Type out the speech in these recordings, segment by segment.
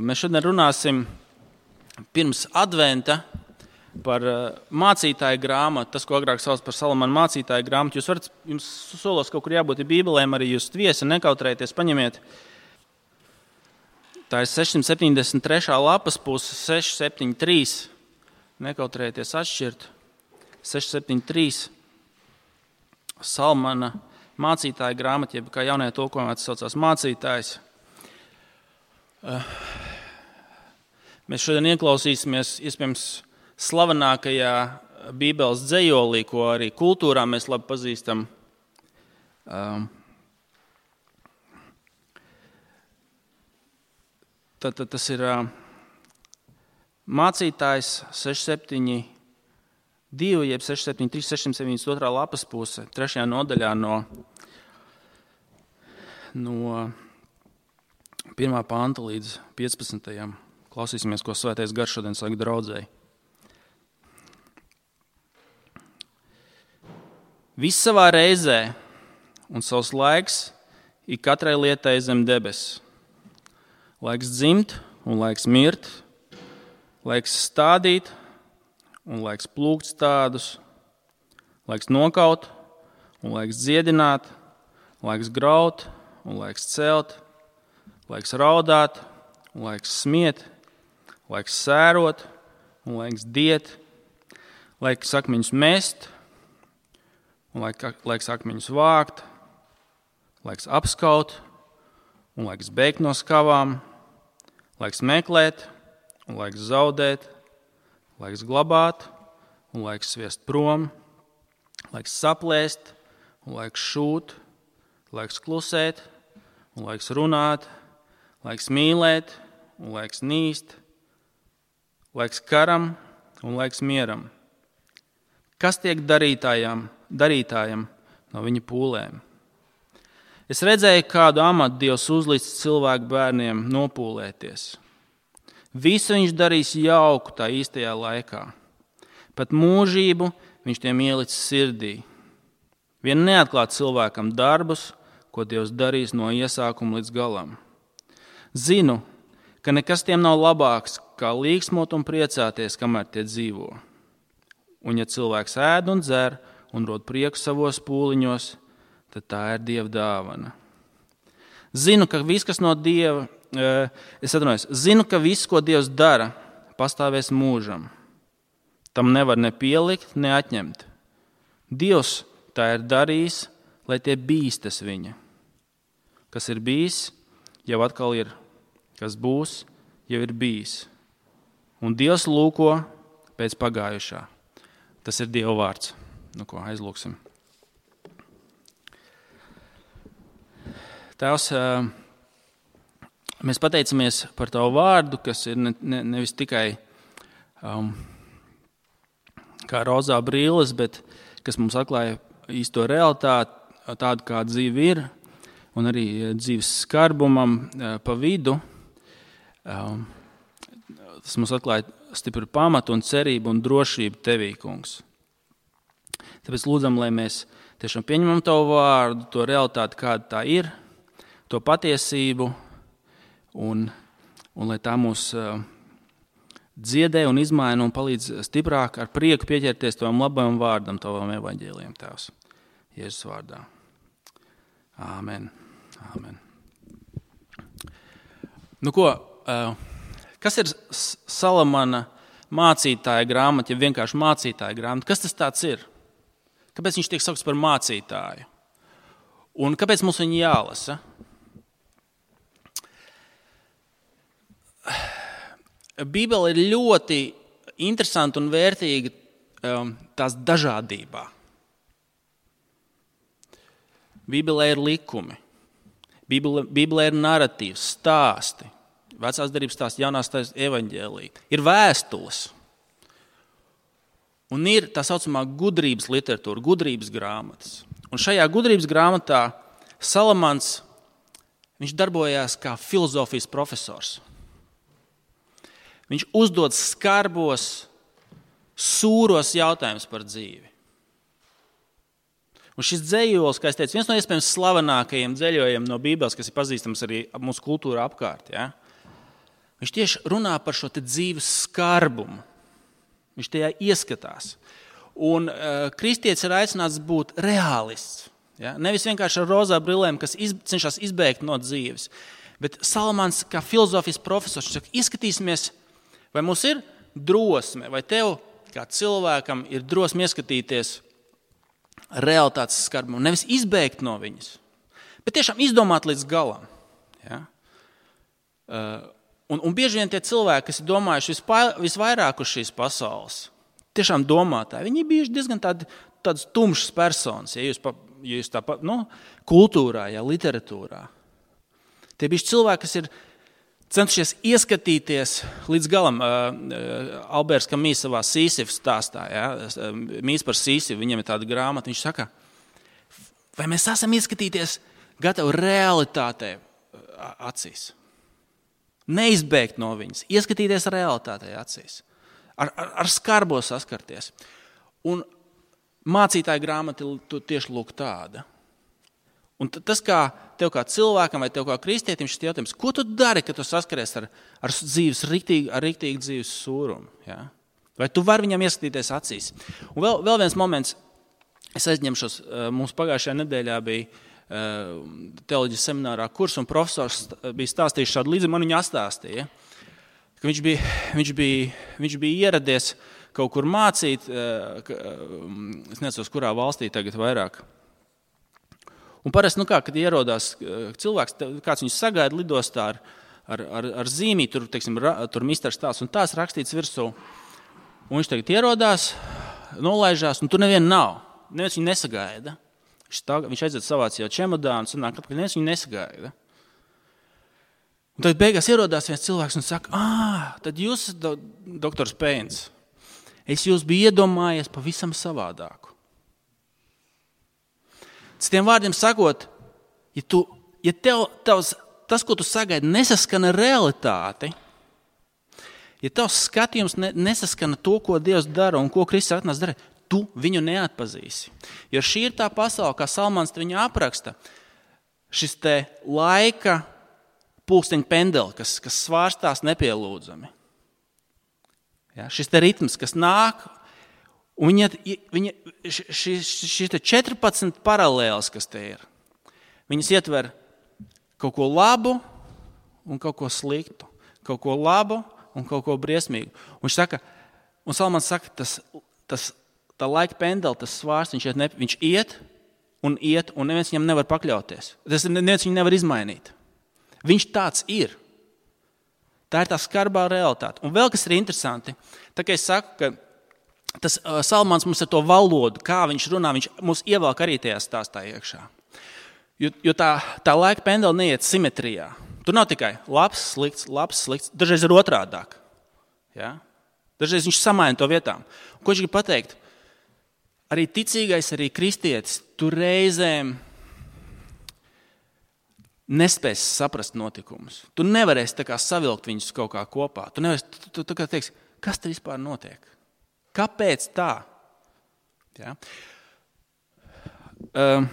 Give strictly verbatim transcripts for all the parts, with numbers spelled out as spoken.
Mēs šodien runāsim pirms adventa par mācītāju grāmatu, tas, ko agrāk sauc par Salamana mācītāju grāmatu. Jūs varat, jums solos kaut kur jābūt bībelēm, arī jūs viesi, nekautrējieties, paņemiet. Tā ir sešsimt septiņdesmit trešā lapas puse, seši septiņi trīs, nekautrējieties atšķirt, seši septiņi trīs, Salamana mācītāju grāmata, jeb kā jaunajā tulkojumā tas saucās mācītājs. Mēs šodien ieklausīsimies, iespējams, slavenākajā Bībeles dzejolī, ko arī kultūrā mēs labi pazīstam. Tad tas ir mācītājs seši septiņi divi, jeb seši septiņi trīs, seši septiņdesmit otrā lapas puse, trešajā nodaļā no, no pirmā panta līdz piecpadsmitajam. Klausīsimies, ko Svētais Gars šodien saka draudzēji. Viss savā reizē un savs laiks ir katrai lietai zem debes. Laiks dzimt un laiks mirt, laiks stādīt un laiks plūkt stādus, laiks nokaut un laiks dziedināt, laiks graut un laiks celt, laiks raudāt un laiks smiet, laiks sērot un laiks diet, laiks akmeņus mest un laiks akmeņus vākt, laiks apskaut un laiks beigt no skavām, laiks meklēt un laiks zaudēt, laiks glabāt un laiks sviest prom, laiks saplēst un laiks šūt, laiks klusēt un laiks runāt, laiks mīlēt un laiks nīst, laiks karam un laiks mieram. Kas tiek darītājam, darītājam no viņa pūlēm? Es redzēju, kādu amatu Dievs uzlicis cilvēku bērniem nopūlēties. Visu viņš darīs jauku tā īstajā laikā. Pat mūžību viņš tiem ielicis sirdī. Vien neatklāt cilvēkam darbus, ko Dievs darīs no iesākuma līdz galam. Zinu, ka nekas tiem nav labāks, kā līksmot un priecāties, kamēr tie dzīvo. Un ja cilvēks ēd un dzer un rod prieku savos pūliņos, tad tā ir Dieva dāvana. Zinu, ka viss, kas no Dieva, es atvainojos, zinu, ka viss, ko Dievs dara, pastāvēs mūžam. Tam nevar ne pielikt, ne atņemt. Dievs tā ir darījis, lai tie bīstas viņa. Kas ir bijis, jau atkal ir, kas būs, jau ir bijis. Un Dievs lūko pēc pagājušā. Tas ir Dieva vārds. Nu ko, aizlūksim. Tēvs, mēs pateicamies par Tavu vārdu, kas ir ne, ne, nevis tikai um, kā rozā brīles, bet kas mums atklāja īsto realitāti, tādu, kā dzīve ir, un arī dzīves skarbumam pa vidu. Um, tas mums atklāja stipru pamatu un cerību un drošību Tevī, kungs. Tāpēc lūdzam, lai mēs tiešām pieņemam Tavu vārdu, to realitāti, kāda tā ir, to patiesību, un, un lai tā mūs uh, dziedē un izmaina un palīdz stiprāk ar prieku pieķerties Tavam labajam vārdam, Tavam evaņģēlijam, Tēvs. Jēzus vārdā. Āmen. Āmen. Nu ko, uh, kas ir Salamana mācītāja grāmata, ja vienkārši mācītāja grāmata? Kas tas tāds ir? Kāpēc viņš tiek saukts par mācītāju? Un kāpēc mums viņu jālasa? Bībele ir ļoti interesanta un vērtīga um, tās dažādībā. Bībelē ir likumi. Bībelē, Bībelē ir naratīvs, stāsti. Vecās derības stāsti, jaunās stāsti, evaņģēlija. Ir vēstules. Un ir tā saucamā gudrības literatūra, gudrības grāmatas. Un šajā gudrības grāmatā Salamans, viņš darbojās kā filozofijas profesors. Viņš uzdod skarbos, sūros jautājumus par dzīvi. Un šis dzējols, kā es teicu, viens no iespējams slavenākajiem dzējojiem no Bībeles, kas ir pazīstams arī mūsu kultūra apkārt. Ja? Viņš tieši runā par šo te dzīves skarbumu. Viņš tajā ieskatās. Un uh, kristietis ir aicināts būt reālists. Ja? Nevis vienkārši ar rozā brillēm, kas iz, cenšas izbēgt no dzīves. Bet Salamans, kā filozofijas profesors, saka, ieskatīsimies, vai mums ir drosme, vai tev, kā cilvēkam, ir drosme ieskatīties realitātes skarbumu. Nevis izbēgt no viņas, bet tiešām izdomāt līdz galam. Ja? Uh, Un, un bieži vien tie cilvēki, kas ir domājuši vispār, visvairāk uz šīs pasaules, tiešām domātāji, viņi bijuši diezgan tādi, tādas tumšas personas, ja jūs, pa, ja jūs tā, nu, kultūrā, ja, literatūrā. Tie bijuši cilvēki, kas ir centušies ieskatīties līdz galam. Uh, Alberts Kamīs savā Sīsifas stāstā, ja, Mīs par Sīsifu, viņam ir tāda grāmata, viņš saka, vai mēs esam ieskatīties gatavi realitātē acīs? Neizbēgt no viņas, ieskatīties realitātē acīs, ar, ar, ar skarbo saskarties. Un mācītāja grāmata ir tieši lūk tāda. Un tas, kā tev kā cilvēkam vai tev kā kristietim šis jautājums, ko tu dari, kad tu saskaries ar, ar dzīves riktīgi, ar riktīgu dzīves sūrumu? Ja? Vai tu vari viņam ieskatīties acīs? Un vēl, vēl viens moments, es aizņemšos, mums pagājušajā nedēļā bija teoloģijas seminārā kurs, un profesors bija stāstījis šādu līdzi, man viņu astāstīja, ka viņš bija, viņš bija, viņš bija ieradies kaut kur mācīt, es nezinu, kurā valstī tagad vairāk. Un parasti, nu kā, kad ierodās cilvēks, kāds viņus sagaida lidostā ar, ar, ar, ar zīmī, tur, teiksim, tur misters tās un tās rakstīts virsū, un viņš tagad ierodās, nolaižās, un tur neviena nav, neviens viņu nesagaida. Viņš aiziet savāc jau čemodānu, un nāk, ka neviens viņu nesagaida. Un tad beigās ierodās viens cilvēks un saka, ā, tad jūs, do, doktors Pēns, es jūs biju iedomājies pavisam savādāku. Citiem vārdiem sakot, ja, tu, ja tev, tavs, tas, ko tu sagaidi, nesaskana realitāti, ja tavs skatījums ne, nesaskana to, ko Dievs dara un ko Kristus atnāc dara, tu viņu neatpazīsi. Jo šī ir tā pasaule, kā Salmans viņu apraksta, šis te laika pulksteņa pendeli, kas, kas svārstās nepielūdzami. Ja, šis te ritms, kas nāk, un viņa, viņa, šis, šis te četrpadsmit paralēles, kas te ir, viņas ietver kaut ko labu un kaut ko sliktu, kaut ko labu un kaut ko briesmīgu. Un viņš saka, un Salmans saka, tas, tas tā laika pendeli, tas svārs, viņš iet, ne, viņš iet un iet, un neviens viņam nevar pakļauties. Tas neviens viņu nevar izmainīt. Viņš tāds ir. Tā ir tā skarbā realitāte. Un vēl kas ir interesanti, tā kā es saku, ka tas uh, Salmans mums ar to valodu, kā viņš runā, viņš mūs ievelk arī tajā stāstā iekšā. Jo, jo tā, tā laika pendeli neiet simetrijā. Tur nav tikai labs, slikts, labs, slikts, dažreiz ir otrādāk. Ja? Dažreiz viņš samaina to vietām. Un ko viņš grib pateikt? Arī ticīgais, arī kristietis, tu reizēm nespēsi saprast notikumus. Tu nevarēsi tā kā savilkt viņus kaut kā kopā. Tu nevarēsi, tu, tu, tu kā teiksi, kas te vispār notiek? Kāpēc tā? Ja? Uh,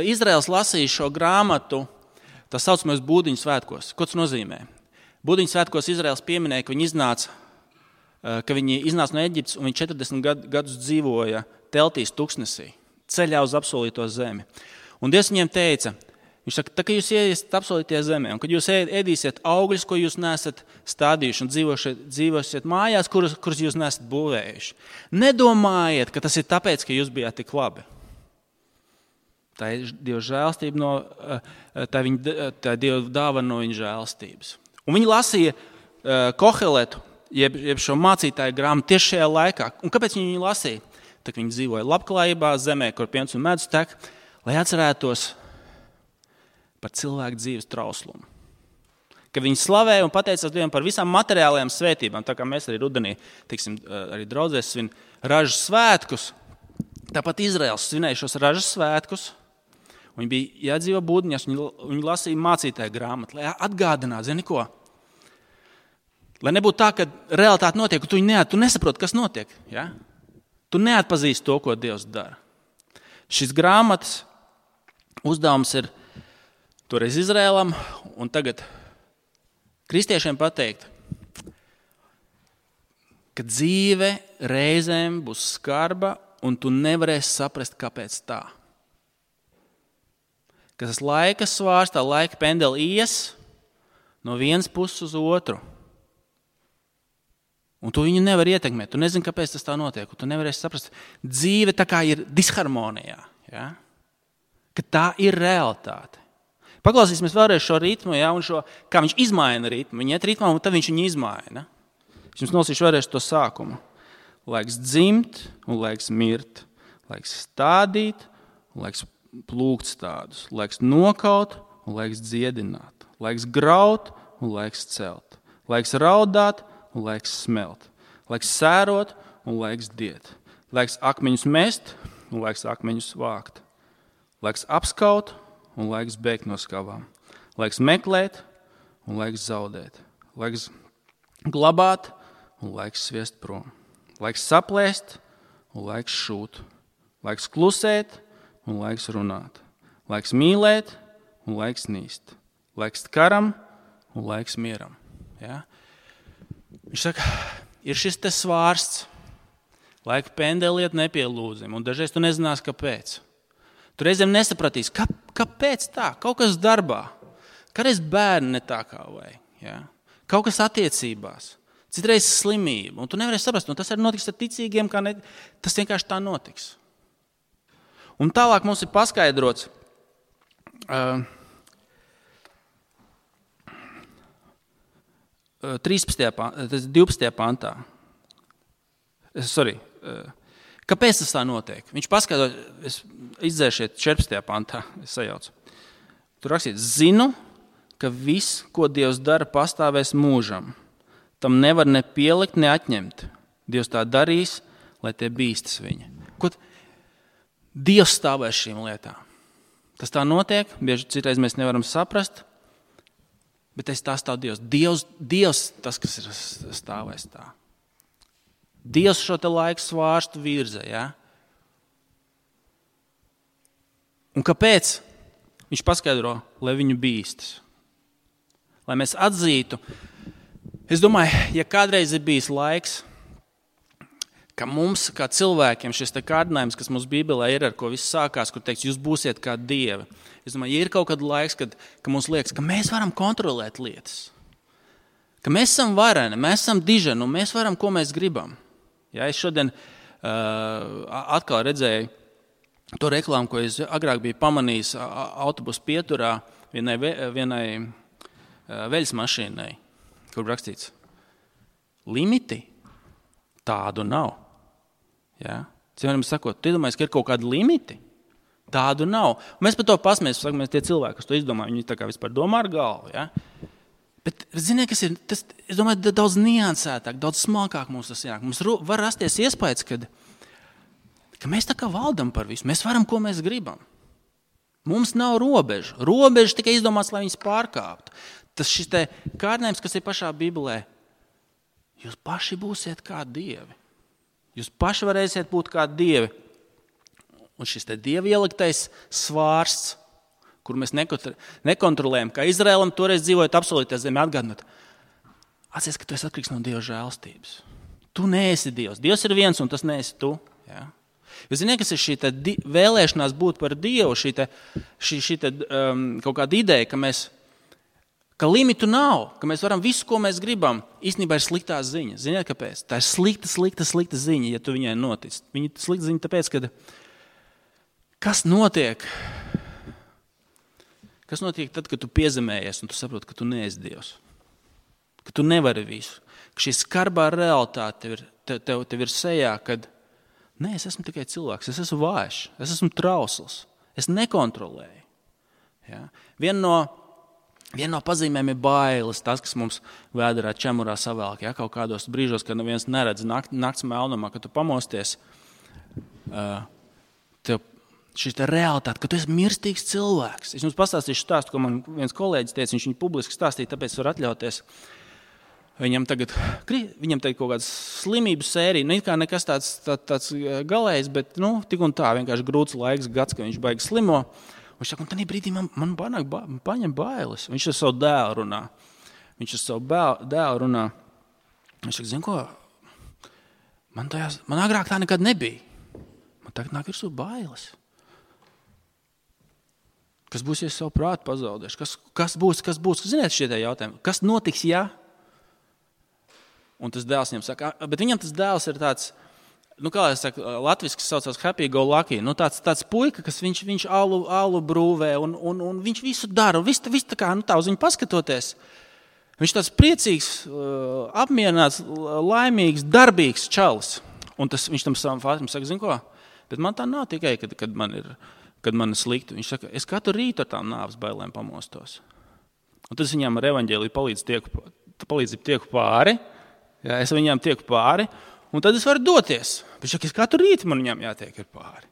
Izraels lasīja šo grāmatu, tā saucamais Būdiņu svētkos. Ko tas nozīmē? Būdiņu svētkos Izraels pieminēja, ka viņi iznāca ka viņi iznāca no Eģiptes un viņi četrdesmit gadus dzīvoja teltīs tuksnesī, ceļā uz apsolīto zemi. Un Dievs viņiem teica, viņš saka, tā, ka jūs ieiesiet apsolītajā zemē, un kad jūs ēdīsiet augļus, ko jūs neesat stādījuši un dzīvosiet, dzīvosiet mājās, kuras, kuras jūs neesat būvējuši, nedomājiet, ka tas ir tāpēc, ka jūs bijāt tik labi. Tā ir Dieva žēlstība, no, tā, viņa, tā ir Dieva dāvana no viņa žēlstības. Un viņi lasīja uh, Koheletu, Jeb, jeb šo mācītāju grāmatu tieši šajā laikā. Un kāpēc viņi viņu lasīja? Tā viņi dzīvoja labklājībā, zemē, kur piens un medus tek, lai atcerētos par cilvēku dzīves trauslumu. Ka viņi slavēja un pateicās Dievam par visām materiālajām svētībām, tā kā mēs arī rudenī, tiksim, arī draudzēs svin ražas svētkus. Tāpat Izraels svinēja šos ražas svētkus. Viņi bija jādzīvo būdiņās, viņi, viņi lasīja mācītāju grāmatu, lai atgādinātu, zini ko? Lai nebūtu tā, ka realitāte notiek, un tu, neat, tu nesaproti, kas notiek. Ja? Tu neatpazīsti to, ko Dievs dara. Šis grāmatas uzdevums ir toreiz Izrēlam, un tagad kristiešiem pateikt, ka dzīve reizēm būs skarba, un tu nevarēsi saprast, kāpēc tā. Ka tas laika svārs, tā laika pendeli ies no vienas puses uz otru. Un tu viņu nevar ietekmēt. Tu nezini, kāpēc tas tā notiek. Tu nevarēsi saprast. Dzīve tā kā ir disharmonijā. Ja? Ka tā ir realitāte. Paklausīsimies vēlreiz šo ritmu, ja? Un šo, kā viņš izmaina ritmu. Viņa iet ritmā, un tad viņš viņu izmaina. Es jums nolasīšu vēlreiz to sākumu. Laiks dzimt un laiks mirt. Laiks stādīt un laiks plūkt stādus. Laiks nokaut un laiks dziedināt. Laiks graut un laiks celt. Laiks raudāt un laiks smelt. Laiks sērot un laiks diet. Laiks akmeņus mest un laiks akmeņus vākt. Laiks apskaut un laiks bēgt no skavām. Laiks meklēt un laiks zaudēt. Laiks glabāt un laiks sviest prom. Laiks saplēst un laiks šūt. Laiks klusēt un laiks runāt. Laiks mīlēt un laiks nīst. Laiks karam un laiks mieram. Ja? Viņš saka, ir šis te svārsts, laika pendeliet nepielūdzim, un dažreiz tu nezinās, kāpēc. Tu reizēm nesapratīsi, kā, kāpēc tā, kaut kas darbā, kādreiz bērni ne tā kā vajag, ja? Kaut kas attiecībās, citreiz slimība, un tu nevarēsi saprast, un tas arī notiks ar ticīgiem, kā ne, tas vienkārši tā notiks. Un tālāk mums ir paskaidrots, uh, divpadsmitajā pantā. Sorry. Kāpēc tas tā notiek? Viņš paskaidro, es izdzēšiet četrpadsmitajā pantā, es sajaucu. Tur rakstīt, zinu, ka viss, ko Dievs dara, pastāvēs mūžam. Tam nevar ne pielikt, ne atņemt. Dievs tā darīs, lai tie bīstas viņa. Ko Dievs stāvēs šīm lietām? Tas tā notiek, bieži citreiz mēs nevaram saprast, bet es tā stāv Dievs. Dievs, Dievs tas, kas ir stāvēs tā. Dievs šo te laiku svārstu virza, ja? Un kāpēc? Viņš paskaidro, lai viņu bīstas. Lai mēs atzītu. Es domāju, ja kādreiz ir bijis laiks, ka mums, kā cilvēkiem, šis te kārdinājums, kas mums Bībelē ir, ar ko viss sākās, kur teiks, jūs būsiet kā dievi. Es domāju, ja ir kaut kad laiks, kad, ka mums liekas, ka mēs varam kontrolēt lietas. Ka mēs esam vareni, mēs esam diženi, un mēs varam, ko mēs gribam. Ja, es šodien uh, atkal redzēju to reklāmu, ko es agrāk biju pamanījis autobusu pieturā vienai, vienai uh, veļas mašīnai, kur rakstīts, limiti tādu nav. Ja? Cilvēkiem sakot, tu iedomājies, ka ir kaut kādi limiti? Tādu nav. Un mēs par to pasmēs, mēs tie cilvēki, kas to izdomā, viņi tā kā vispār domā ar galvu. Ja? Bet, ziniet, kas ir, tas, es domāju, daudz niansētāk, daudz smalkāk mums tas jānāk. Mums var rasties iespējas, kad, ka mēs tā kā valdam par visu. Mēs varam, ko mēs gribam. Mums nav robežu. Robežu tikai izdomāts, lai viņas pārkāptu. Tas šis te kārdinājums, kas ir pašā Bībelē, jūs paši būsiet kā dievi. Jūs paši varēsiet būt kā dievi. Un šis te dievi ieliktais svārsts, kur mēs nekontrolējam, kā Izraēlam toreiz dzīvojot absolūtā zemē atgādināt. Atcies, ka tu esi atkarīgs no Dieva žēlstības. Tu neesi Dievs. Dievs ir viens, un tas neesi tu. Ja? Jūs zināt, kas ir šī te di- vēlēšanās būt par Dievu, šī, te, šī, šī te, um, kaut kāda ideja, ka mēs ka limitu nav, ka mēs varam visu, ko mēs gribam, īstenībā ir sliktā ziņa. Ziniet, kāpēc? Tā ir slikta, slikta, slikta ziņa, ja tu viņai notic. Viņa ir slikta ziņa tāpēc, ka kas notiek? Kas notiek tad, kad tu piezemējies un tu saproti, ka tu neesi Dievs? Ka tu nevari visu. Ka šī skarbā realitāte tev ir, tev, tev, tev ir sejā, kad nē, es esmu tikai cilvēks, es esmu vājš, es esmu trausls, es nekontrolēju. Ja? Viena no Viena no pazīmēm ir bailes, tas, kas mums vēderā čemurā savēlk, ja, kaut kādos brīžos, kad neviens neredz nakt, nakts melnumā, kad tu pamosties, uh, tev šī te realitāte, ka tu esi mirstīgs cilvēks. Es jums pastāstīšu stāstu, ko man viens kolēģis teica, viņš viņu publiski stāstīja, tāpēc var atļauties. Viņam tagad, viņam tagad kaut kāds slimības sērija, nu it kā nekas tāds, tā, tāds galējs, bet nu, tik un tā, vienkārši grūts laiks, gads, ka viņš baigi slimo. Viņš saka, un tādā brīdī man, man panāk, ba, paņem bailes. Viņš ar savu dēlu runā. Viņš ar savu bēl, dēlu runā. Viņš saka, zin ko, man, tajās, man agrāk tā nekad nebija. Man tagad nāk virsū bailes. Kas būs, ja es savu prātu pazaudēšu? Kas, kas būs, kas būs? Ziniet šie tie jautājumi. Kas notiks, ja? Un tas dēls viņam saka, bet viņam tas dēls ir tāds, nu kā es saku, latviski saucās happy go lucky, nu tāds, tāds puika, kas viņš, viņš alu, alu brūvē un, un, un viņš visu dara. Viss, viss tā kā, nu tā uz viņu paskatoties. Viņš tāds priecīgs, apmierināts, laimīgs, darbīgs čalis. Un tas, viņš tam savam fātim saka, zin ko, bet man tā nav tikai, kad, kad, man ir, kad man ir slikti. Viņš saka, es katru rītu ar tām nāves bailēm pamostos. Un tas viņam ar evaņģēliju palīdz tieku, palīdz tieku pāri. Jā, es viņām tieku pāri, un tad es varu doties. Viņš saka, es katru rītu man viņām jātiek ir pāri.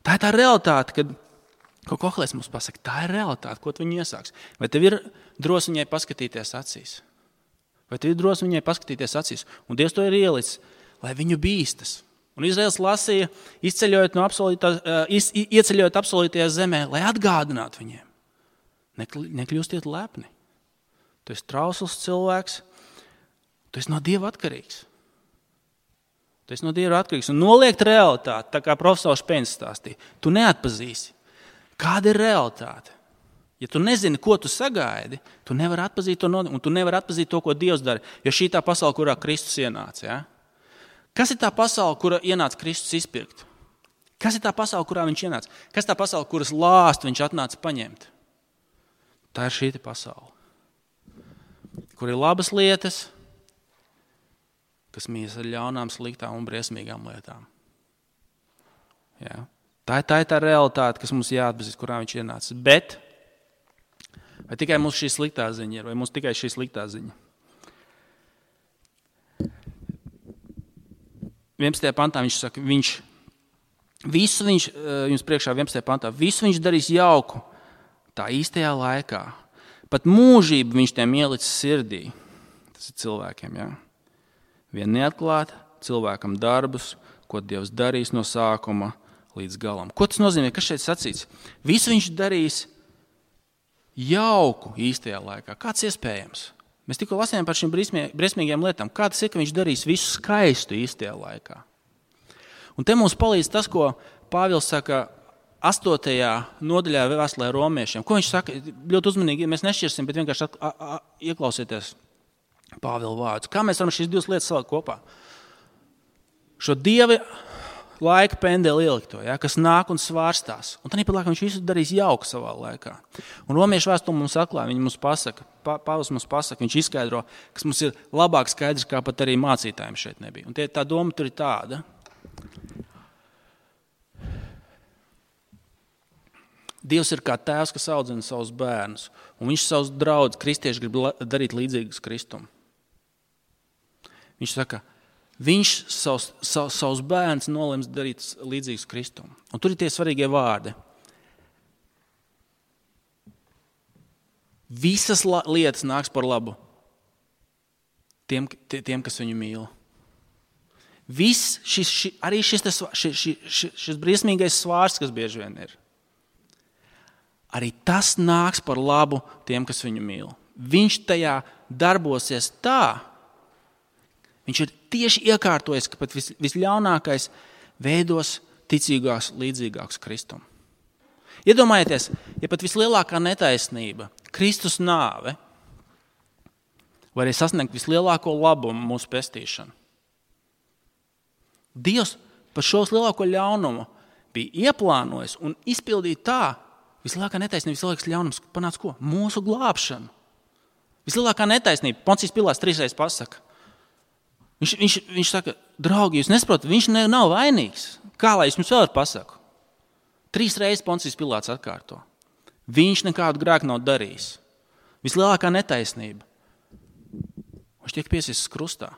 Tā ir tā realitāte, kad, ko Kohlēs mums pasaka, tā ir realitāte, ko tu viņi iesāks. Vai tev ir drosme viņai paskatīties acīs? Vai tev ir drosme viņai paskatīties acīs? Un Dievs to ir ielicis, lai viņu bīstas. Un Izraels lasīja, izceļojot, no iz, ieceļojot absolūtajā zemē, lai atgādinātu viņiem. Nekļūstiet lepni. Tu esi trausls cilvēks, tu esi no Dieva atkarīgs. Tu esi no Dieva atkarīgs. Un noliegt realitāti, tā kā profesors Pēns stāstīja, tu neatpazīsi. Kāda ir realitāte? Ja tu nezini, ko tu sagaidi, tu nevari atpazīt to, un tu nevari atpazīt to, ko Dievs dara. Jo šī tā pasaule, kurā Kristus ienāca. Ja? Kas ir tā pasaule, kura ienāca Kristus izpirkt? Kas ir tā pasaule, kurā viņš ienāca? Kas ir tā pasaule, kuras lāst viņš atnāca paņemt? Tā ir šī pasaule. Kur ir labas lietas, kas mīs ar ļaunām, sliktām un briesmīgām lietām. Jā. Tā, tā ir tā realitāte, kas mums jāatpazīst, kurā viņš ienāca. Bet vai tikai mums šī sliktā ziņa ir, vai mums tikai šī sliktā ziņa? vienpadsmitajā pantā viņš saka, viņš, visu viņš, jums priekšā vienpadsmitajā pantā, visu viņš darīs jauku tā īstajā laikā. Pat mūžību viņš tiem ielicis sirdī. Tas ir cilvēkiem, jā. Vien neatklāt cilvēkam darbus, ko Dievs darīs no sākuma līdz galam. Ko tas nozīmē? Kas šeit sacīts? Visu viņš darīs jauku īstajā laikā. Kāds iespējams? Mēs tikko lasījām par šīm briesmīgajām lietām. Kā tas ir, ka viņš darīs visu skaistu īstajā laikā? Un te mums palīdz tas, ko Pāvils saka astotajā nodaļā vēstulē romiešiem. Ko viņš saka? Ļoti uzmanīgi, mēs nešķirsim, bet vienkārši at, a, a, ieklausieties Pāvila vārdus. Kā mēs varam šīs divas lietas salikt kopā? Šo Dieva laika pendeli ielikto, ja, kas nāk un svārstās. Un tad laikam viņš visu darīs jauku savā laikā. Un romiešu vēstule mums atklāja, viņi mums pasaka, Pāvils mums pasaka, viņš izskaidro, kas mums ir labāk skaidrs, kā pat arī mācītājiem šeit nebija. Un tie, tā doma tur ir tāda. Dievs ir kā tēvs, kas audzina savus bērnus, un viņš savus draudzus kristieši grib darīt līdzīgus Kristum. Viņš saka, viņš savus, savus, savus bērnus nolems darīt līdzīgus Kristum. Un tur ir tie svarīgie vārdi. Visas la, lietas nāks par labu tiem, tiem kas viņu mīl. Viss šis, ši, arī šis, šis, šis, šis briesmīgais svārsts, kas bieži vien ir, arī tas nāks par labu tiem, kas viņu mīl. Viņš tajā darbosies tā, viņš ir tieši iekārtojis, ka pat vis, visļaunākais veidos ticīgās līdzīgāks Kristum. Iedomājieties, ja pat vislielākā netaisnība, Kristus nāve, var arī sasniegt vislielāko labumu mūsu pestīšanu. Dievs par šo lielāko ļaunumu bija ieplānojis un izpildīja tā, vislielākā netaisnība, vislielākais ļaunums panāca ko? Mūsu glābšanu. Vislielākā netaisnība, Poncijas Pilāts trīsreiz pasaka. Viņš, viņš, viņš saka, draugi, jūs nesaprotat, viņš ne, nav vainīgs. Kā lai es jums vēl pasaku? Trīs reizes Poncijas Pilāts atkārto. Viņš nekādu grēku nav darījis. Vislielākā netaisnība. Viņš tiek piesists krustā.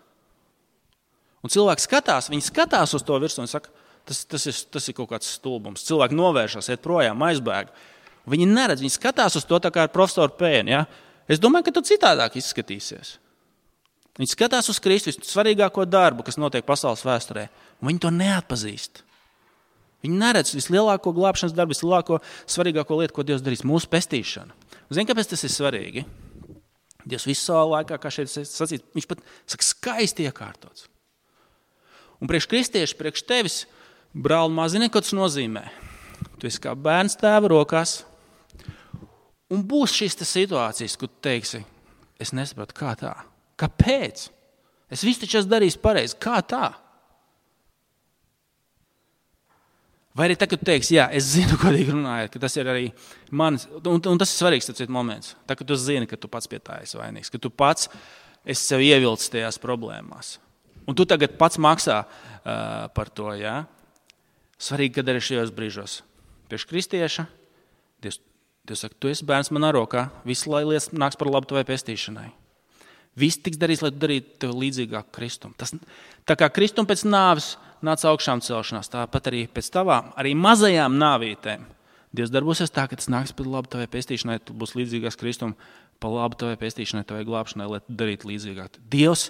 Un cilvēki skatās, viņi skatās uz to virsmu un saka, tas, tas, ir, tas ir kaut kāds stulbums. Cilvēki novēršas, iet projām, aizbēg. Viņi neredz, viņi skatās uz to tā kā ar profesoru Pēnu. Ja? Es domāju, ka tu citādāk izskatīsies. Viņi skatās uz Kristu, svarīgāko darbu, kas notiek pasaules vēsturē, un viņi to neatpazīst. Viņi neredz vislielāko glābšanas darbu, vislielāko svarīgāko lietu, ko Dievs darīs, mūsu pestīšanu. Zini, kāpēc tas ir svarīgi? Dievs visu savu laikā, kā šeit sacīt, viņš pat saka, skaisti iekārtots. Un priekš kristieši, priekš tevis, brāli, maz zini, ko tas nozīmē. Tu esi kā bērns tēva rokās. Un būs šīs situācijas, kur tu teiksi, es nesapratu, kā tā? Kāpēc? Es visu taču esmu darījis pareizi. Kā tā? Vai arī tagad tu teiksi, jā, es zinu, godīgi runājot, ka tas ir arī manis, un, un tas ir svarīgs tāds moments. Tā, ka tu zini, ka tu pats pie tā esi vainīgs, ka tu pats esi sev ievilcis tajās problēmās. Un tu tagad pats maksā uh, par to, jā. Svarīgi, kad arī šajos brīžos. Priekš kristieša, Dievs, Dievs saka, tu esi bērns manā rokā, viss lai lietas nāks par labu tavai pestīšanai. Viss tiks darīts, lai tu darītu tev līdzīgāku Kristumu. Tas, tā kā Kristum pēc nāves nāca augšām celšanās, tāpat arī pēc tavām, arī mazajām nāvītēm. Dievs darbosies tā, ka tas nāks par labu tavai pestīšanai, tu būs līdzīgāks Kristum, par labu tavai pestīšanai, tavai glābšanai, lai tu darītu līdzīgāk. Dievs,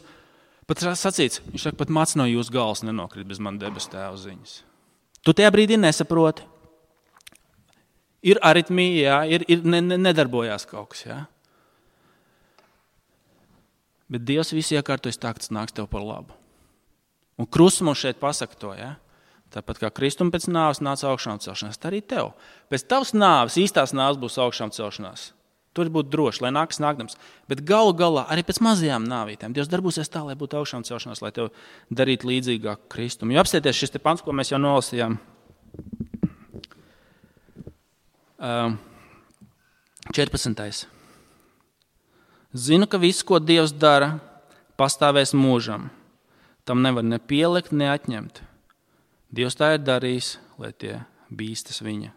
pat sacīts, viņš saka, pat mats no jūsu galvas nenokrit bez man debesu tēva ziņas. Tu tajā brīdī nesaproti. Ir aritmija, jā, ir, ir ne, ne, nedarbojās kaut kas, jā. Bet Dievs visu iekārtojas tā, ka tas nāks tev par labu. Un krusts mums šeit pasaka to, ja? Tāpat kā Kristum pēc nāves nāca augšām celšanās, tā arī tev. Pēc tavas nāves, īstās nāves būs augšām celšanās. Tur būtu droši, lai nākas nākdams. Bet galu galā arī pēc mazajām nāvītēm Dievs darbosies tā, lai būtu augšām celšanās, lai tev darītu līdzīgāk Kristum. Jo apstieties šis te pants, ko mēs jau nolasījām. četrpadsmitais. Zinu, ka viss, ko Dievs dara, pastāvēs mūžam. Tam nevar ne pielikt, ne atņemt. Dievs tā ir darījis, lai tie bīstas viņa.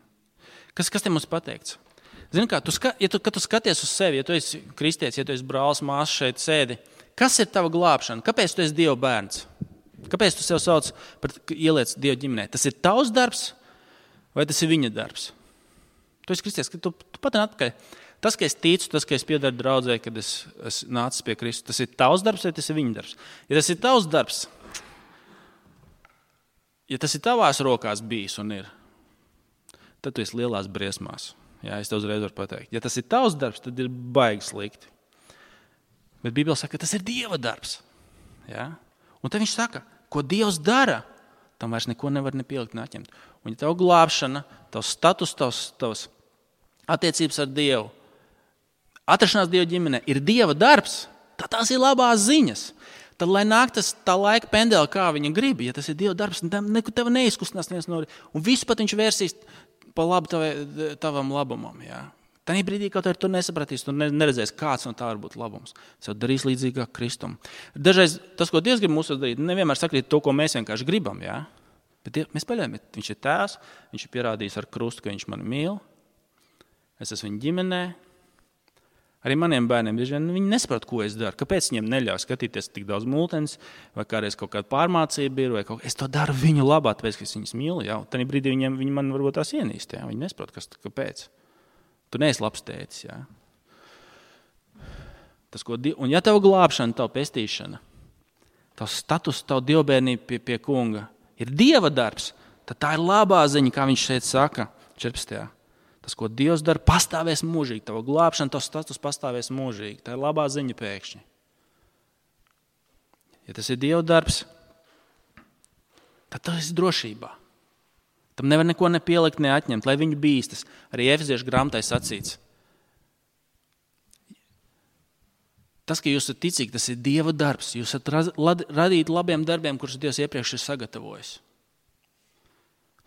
Kas, kas te mums pateikts? Zini kā, tu, ska, ja tu, kad tu skaties uz sevi, ja tu esi kristietis, ja tu esi brālis, māsas šeit sēdi, kas ir tava glābšana? Kāpēc tu esi Dieva bērns? Kāpēc tu sev sauc par ieliec Dieva ģimenē? Tas ir tavs darbs vai tas ir viņa darbs? Tu esi kristietis, tu, tu pat atpakaļ. Tas, ka es ticu, tas, ka es piedaru draudzē, kad es, es nācis pie Kristus, tas ir tavs darbs vai tas ir viņa darbs? Ja tas ir tavs darbs, ja tas ir tavās rokās bijis un ir, tad tu esi lielās briesmās. Jā, es tev uzreiz varu pateikt. Ja tas ir tavs darbs, tad ir baigi slikti. Bet Bībele saka, ka tas ir Dieva darbs. Jā? Un tad viņš saka, ko Dievs dara, tam vairs neko nevar nepielikt, neatņemt. Un ja tev glābšana, tavs status, tavs, tavs attiecības ar Dievu, atrašanās Dieva ģimenē ir Dieva darbs, tad tās ir labās ziņas. Tad, lai nāk tas tā laika pendeli, kā viņa grib, ja tas ir Dieva darbs, neko tev neizkustinās neviens no, un visu pat viņš vērsīs pa labu tavai, tavam labumam. Jā. Tanī brīdī, kaut arī tu nesapratīs, tu neredzēs, kāds no tā var būt labums. Tas jau darīs līdzīgāk Kristum. Dažreiz tas, ko Dievs grib mūsu darīt, nevienmēr sakrīt to, ko mēs vienkārši gribam. Jā. Bet Dievs, mēs paļaujam, viņš ir tēvs, viņš ir pierādījis ar krustu, ka viņš mani mīl. Es esmu viņa ģimenē. Arī maniem bērniem bieži vien viņi nesaprot, ko es daru. Kāpēc viņiem neļauj skatīties tik daudz multenes, vai kādreiz kaut kāda pārmācība ir, vai kaut es to daru viņu labā, tāpēc, ka es viņus mīlu. Jā. Tanī brīdī viņiem, viņi man varbūt tās ienīst. Jā. Viņi nesaprot, kas, kāpēc. Tu neesi labs tētis. Jā. Tas, ko, un ja tev glābšana, tev pestīšana, tev status, tev dievbērnība pie, pie kunga ir Dieva darbs, tad tā ir labā ziņa, kā viņš šeit saka, četrpadsmitajā. Tas, ko Dievs dara, pastāvēs mūžīgi. Tava glābšana, tavs status pastāvēs mūžīgi. Tā ir labā ziņa pēkšņi. Ja tas ir Dieva darbs, tad tas ir drošībā. Tam nevar neko nepielikt, neatņemt, lai viņu bīstas. Arī Efeziešu grāmatai sacīts. Tas, ka jūs esat ticīgi, tas ir Dieva darbs. Jūs esat radīti labiem darbiem, kurus Dievs iepriekš ir sagatavojis.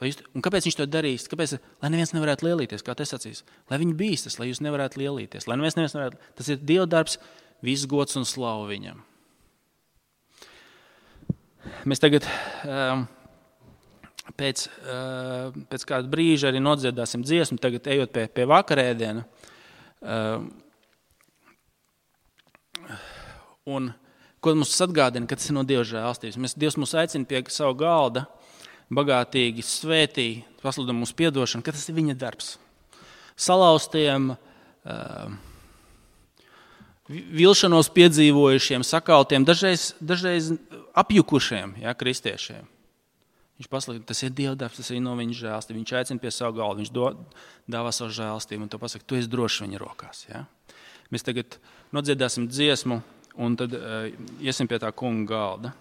Jūs, un kāpēc viņš to darīs? Kāpēc? Lai neviens nevarētu lielīties, kā te sacīs. Lai viņi bīstas, lai jūs nevarētu lielīties. Lai neviens nevarētu. Tas ir Dieva darbs, viss gods un slavu viņam. Mēs tagad um, pēc, uh, pēc kāda brīža arī nodziedāsim dziesmu, tagad ejot pie, pie vakarēdiena. Um, un ko mums atgādina, ka tas ir no Dieva žēlstības. Mēs, Dievs mūs aicina pie savu galda, bagātīgi svētī, pasludina mums piedošanu, ka tas ir viņa darbs. Salauztiem, uh, vilšanos piedzīvojušiem, sakaltiem, dažreiz, dažreiz apjukušiem, jā, kristiešiem. Viņš pasaka, tas ir Dieva darbs, tas ir no viņa žēlstība. Viņš aicina pie savu galvu, viņš do, dāvā savu žēlstību un to pasaka, tu esi drošs viņa rokās. Ja? Mēs tagad nodziedāsim dziesmu un tad uh, iesim pie tā kunga galda.